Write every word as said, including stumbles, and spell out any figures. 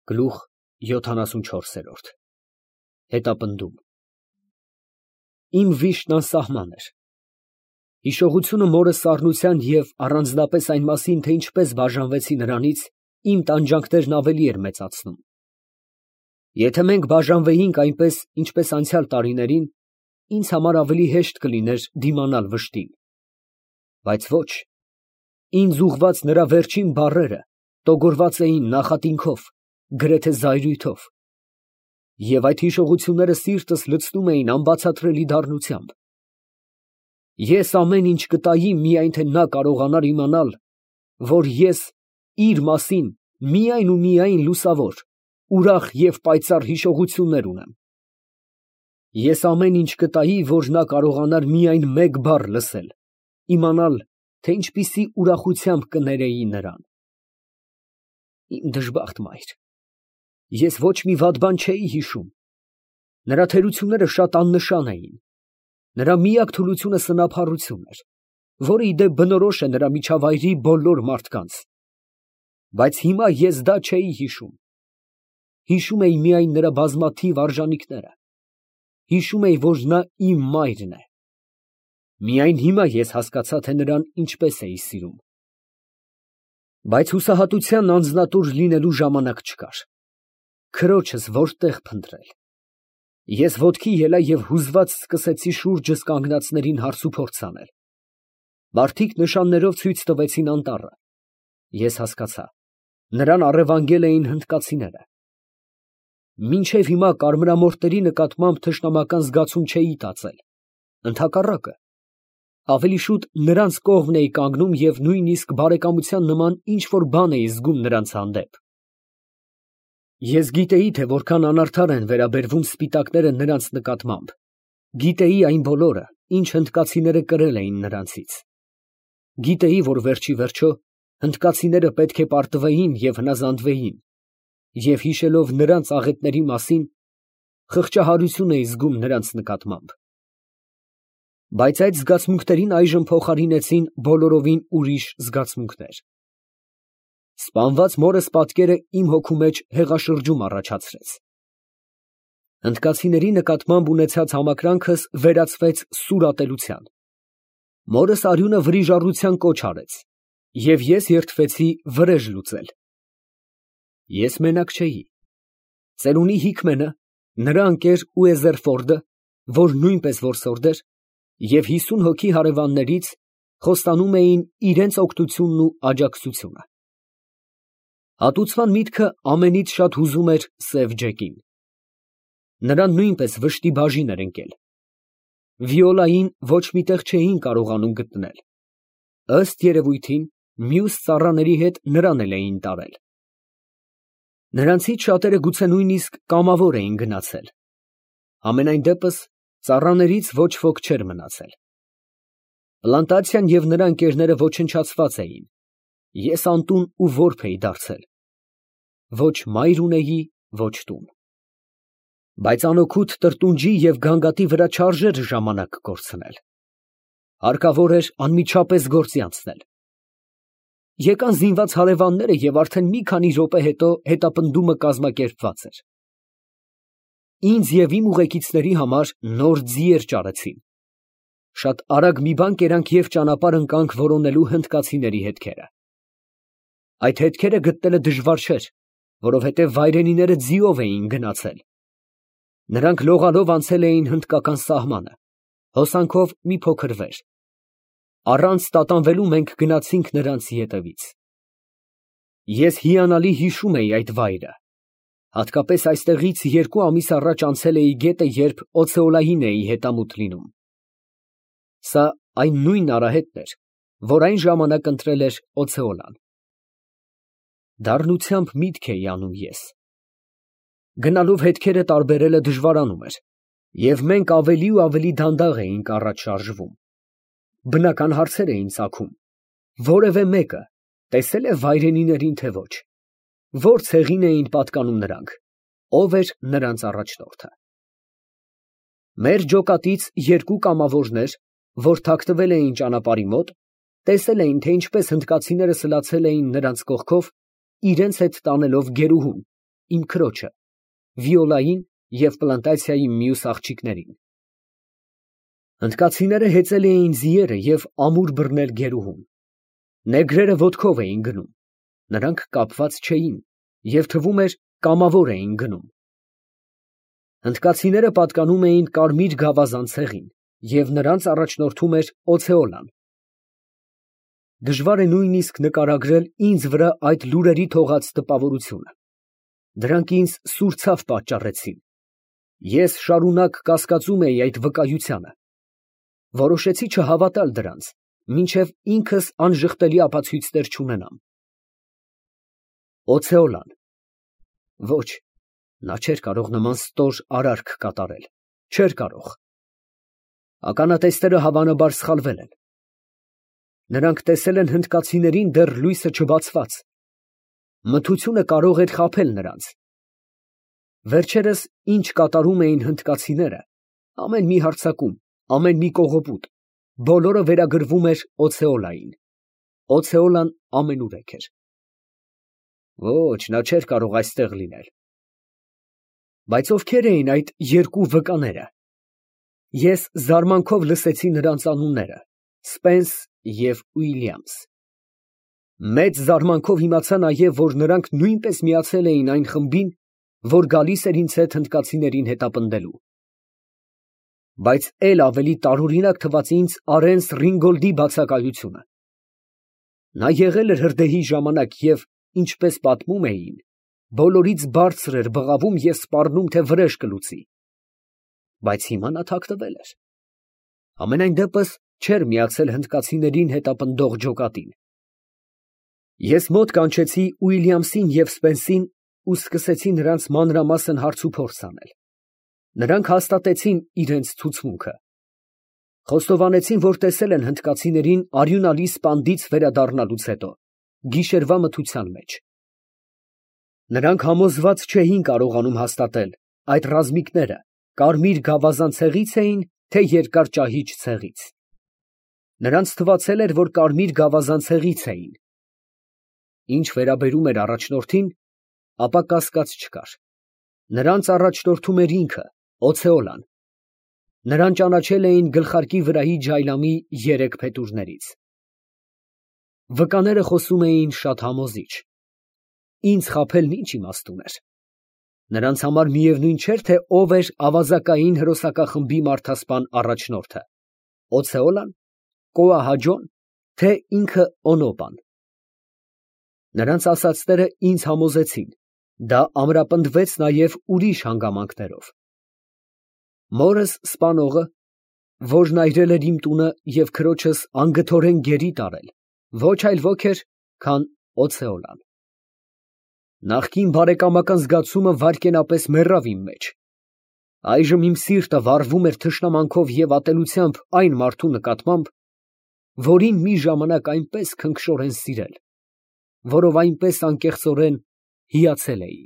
Գլուխ յոթանասունչորս։ Հետապնդում։ Իմ վիշտն անսահման էր։ Հիշողությունը մորս սառնության և առանձնապես այն մասին, թե ինչպես բաժանվեցի նրանից, իմ տանջանքներն ավելի էր մեծացնում։ Եթե մենք բաժանվեինք այնպես, ինչպես անցյալ տարիներին, ինձ համար ավելի հեշտ կլիներ դիմանալ վշտին։ Բայց ոչ, ինձ ուղղված նրա վերջին բառերը տոգորված էին նախատինքով, գրեթե զայրույթով, և այդ հիշողությունները սիրտս լցնում էին անբացատրելի դառնությամբ։ Ես ամեն ինչ կտայի, միայն թե նա կարողանար իմանալ, որ ես իր մասին միայն ու միայն լուսավոր, ուրախ և պայծառ հիշողություններ ունեմ։ Ես ամեն ինչ կտայի, որ նա կարողանար միայն մեկ բառ լսել, իմանալ, թե ինչպիսի ուրախությամբ կներեի նրան։ Իմ դժբախտ մայր, ես ոչ մի վատ բան չէի հիշում։ Նրա թերությունները շատ աննշան էին, նրա միակ թուլությունը սնափառություն էր, որը ի դեպ բնորոշ է նրա միջավայրի բոլոր մարդկանց։ Բայց հիմա ես դա չէի հիշում։ Հիշում էի միայն նրա բազմաթիվ արժանինքները։ Հիշում էի, որ նա իմ մայրն է։ Միայն հիմա ես հասկացա, թե նրան ինչպես էի սիրում։ Բայց հուսահատության անձնատուր լինելու ժամանակ չկար։ Քրոջս որտե՞ղ փնտրել։ Ես ոտքի ելա և հուզված սկսեցի շուրջս կանգնածներին հարցուփորձ անել։ Մարդիկ նշաններով ցույց տվեցին անտառը։ Ես հասկացա, նրան առևանգել էին հնդկացիները։ Մինչև հիմա կարմրամորթերի նկատմամբ թշնամական զգացում չէի տածել, ընդհակառակը, ավելի շուտ նրանց կողմն էի կանգնում և նույնիսկ բարեկամության նման ինչ֊որ բան էի զգում նրանց հանդեպ։ Ես գիտեի, թե որքան անարդար են վերաբերվում սպիտակները նրանց նկատմամբ, գիտեի այն բոլորը, ինչ հնդկացիները կրել էին նրանցից։ Գիտեի, որ վերջիվերջո հնդկացիները պետք է պարտվեին և հնազանդվեին, և հիշելով նրանց աղետների մասին, խղճահարություն էի զգում նրանց նկատմամբ։ Բայց այդ զգացմունքներին այժմ փոխարինեցին բոլորովին ուրիշ զգացմունքներ։ Սպանված մորս պատկերը իմ հոգու մեջ հեղաշրջում առաջացրեց։ Հնդկացիների նկատմամբ ունեցած համակրանքս վերածվեց սուր ատելության։ Մորս արյունը վրիժառության կոչ արեց, և ես երդվեցի վրեժ լուծել։ Ես մենակ չէի։ Ծերունի Հիկմենը, նրա ընկեր Ուեզերֆորդը, որ նույնպես որսորդ էր, և հիսուն հոգի հարևաններից խոստանում էին իրենց օգնությունն ու աջակցությունը։ Հատուցման միտքը ամենից շատ հուզում էր սև Ջեկին։ Նրան նույնպես վշտի բաժին էր ընկել։ Վիոլային ոչ մի տեղ չէին կարողանում գտնել։ Ըստ երևույթին, մյուս ծառաների հետ նրան էլ էին տարել։ Նրանցից շատերը գուցե նույնիսկ կամավոր էին գնացել։ Համենայն դեպս, ծառաներից ոչ ոք չէր մնացել։ Պլանտացիան և նրա ընկերները ոչնչացված էին։ Ես անտուն ու որբ էի դարձել։ Ոչ մայր ունեի, ոչ տուն։ Բայց անօգուտ տրտունջի և գանգատի վրա չարժեր ժամանակ կորցնել։ Հարկավոր էր անմիջապես գործի անցնել։ Եկան զինված հարևանները և արդեն մի քանի րոպե հետո հետապնդումը կազմակերպված էր։ Ինձ և իմ ուղեկիցների համար նոր ձիեր ճարեցին։ Շատ արագ մի բան կերանք և ճանապարհ ընկանք որոնելու հնդկացիների հետքերը։ Այդ հետքերը գտնելը դժվար չէր, որովհետև վայրենիները ձիով էին գնացել։ Նրանք լողալով անցել էին հնդկական սահմանը, հոսանքով մի փոքր վեր։ Առանց տատանվելու մենք գնացինք նրանց ետևից։ Ես հիանալի հիշում էի այդ վայրը։ Հատկապես այստեղից երկու ամիս առաջ անցել էի գետը, երբ օցեոլային էի հետամուտ լինում։ Սա այն նույն արահետն էր, որ այն ժամանակ ընտրել էր օցեոլան։ Դառնությամբ միտք էի անում ես։ Գնալով հետքերը տարբերելը դժվարանում էր, և մենք ավելի ու ավելի դանդաղ էինք առաջ շարժվում։ Բնական հարցեր էին ծագում. որևէ մեկը տեսե՞լ է վայրենիներին, թե ոչ, ո՞ր ցեղին էին պատկանում նրանք, ով էր նրանց առաջնորդը։ Մեր ջոկատից երկու կամավորներ, որ թաքնվել էին ճանապարհի մոտ, տեսել էին, թե ինչպես հնդկացիները սլացել էին նրանց կողքով, իրենց հետ տանելով գերուհուն, իմ քրոջը, Վիոլային և պլանտացիայի մյուս աղջիկներին։ Հնդկացիները հեծել էին ձիերը և ամուր բռնել գերուհուն։ Նեգրերը ոտքով էին գնում, նրանք կապված չէին և թվում էր կամավոր էին գնում։ Հնդկացիները պատկանում էին կարմիր գավազան ցեղին և նրանց առաջնորդում էր Օցեոլան։ Դժվար է նույնիսկ նկարագրել ինձ վրա այդ լուրերի թողած տպավորությունը։ Դրանք ինձ սուր ցավ պատճառեցին։ Ես շարունակ կասկածում էի այդ վկայությանը։ Որոշեցի չհավատալ դրանց, մինչև ինքս անժխտելի ապացույցներ չունենամ։ Օցեոլան։ Ոչ, նա չէր կարող նման ստոր արարք կատարել, չէր կարող։ Ականատեսները հավանաբար սխալվել են։ Նրանք տեսել են հնդկացիներին դեռ լույսը չբացված։ Մթությունը կարող էր խաբել նրանց։ Վերջերս ինչ կատարում էին հնդկացիները, ամեն մի հարձակում, ամեն մի կողոպուտ, բոլորը վերագրվում էր Օցեոլային։ Օցեոլան ամենուրեք էր։ Ոչ, նա չէր կարող այստեղ լինել։ Բայց ովքեր էին այդ երկու վկաները։ Ես զարմանքով լսեցի նրանց անունները՝ Սպենս և Ուիլյամս։ Մեծ զարմանքով իմացա նաև, որ նրանք նույնպես միացել էին այն խմբին, որ գալիս էր ինձ հետ հնդկացիներին հետապնդելու։ Բայց էլ ավելի տարօրինակ թվաց ինձ Արենս Ռինգոլդի բացակայությունը։ Նա եղել էր հրդեհի ժամանակ և, ինչպես պատմում էին, բոլորից բարձր էր բղավում և սպառնում, թե վրեժ կլուծի։ Բայց հիմա նա թաքնվել էր։ Համենայն դեպս չէր միացել հնդկացիներին հետապնդող ջոկատին։ Ես մոտ կանչեցի Ուիլյամսին և Սպենսին ու սկսեցի նրանց մանրամասն հարցուփորձ անել։ Նրանք հաստատեցին իրենց ցուցմունքը։ Խոստովանեցին, որ տեսել են հնդկացիներին արյունալի սպանդից վերադառնալուց հետո, գիշերվա մթության մեջ։ Նրանք համոզված չէին կարողանում հաստատել այդ ռազմիկները կարմիր գավազան ցեղի՞ց էին, թե երկար ճահիճ ցեղից։ Նրանց թվացել էր, որ կարմիր գավազան ցեղից էին։ Ինչ վերաբերում էր առաջնորդին, ապա կասկած չկար։ Նրանց առաջնորդում էր ինքը, Օցեոլան։ Նրան ճանաչել էին գլխարկի վրայի ջայլամի երեք փետուրներից։ Վկաները խոսում էին շատ համոզիչ։ Ինձ խաբելն ինչ իմաստ ուներ։ Նրանց համար միևնույն չէր, թե ով էր ավազակային հրոսակախմբի մարդասպան առաջնորդը՝ Օցեոլան, Կոահաջոն, թե ինքը Օնոպան։ Նրանց ասածները ինձ համոզեցին, դա ամրապնդվեց նաև ուրիշ հանգամանքներով։ Մորս սպանողը, որն այրել էր իմ տունը և քրոջս անգթորեն գերի տարել, ոչ այլ ոք էր, քան Օցեոլան։ Նախկին բարեկամական զգացումը վայրկենապես մեռավ իմ մեջ։ Այժմ իմ սիրտը վառվում էր թշնամանքով և ատելությամբ այն մարդու նկատմամբ, որին մի ժամանակ այնպես քնքշորեն սիրել, որով այնպես անկեղծորեն հիացել էի։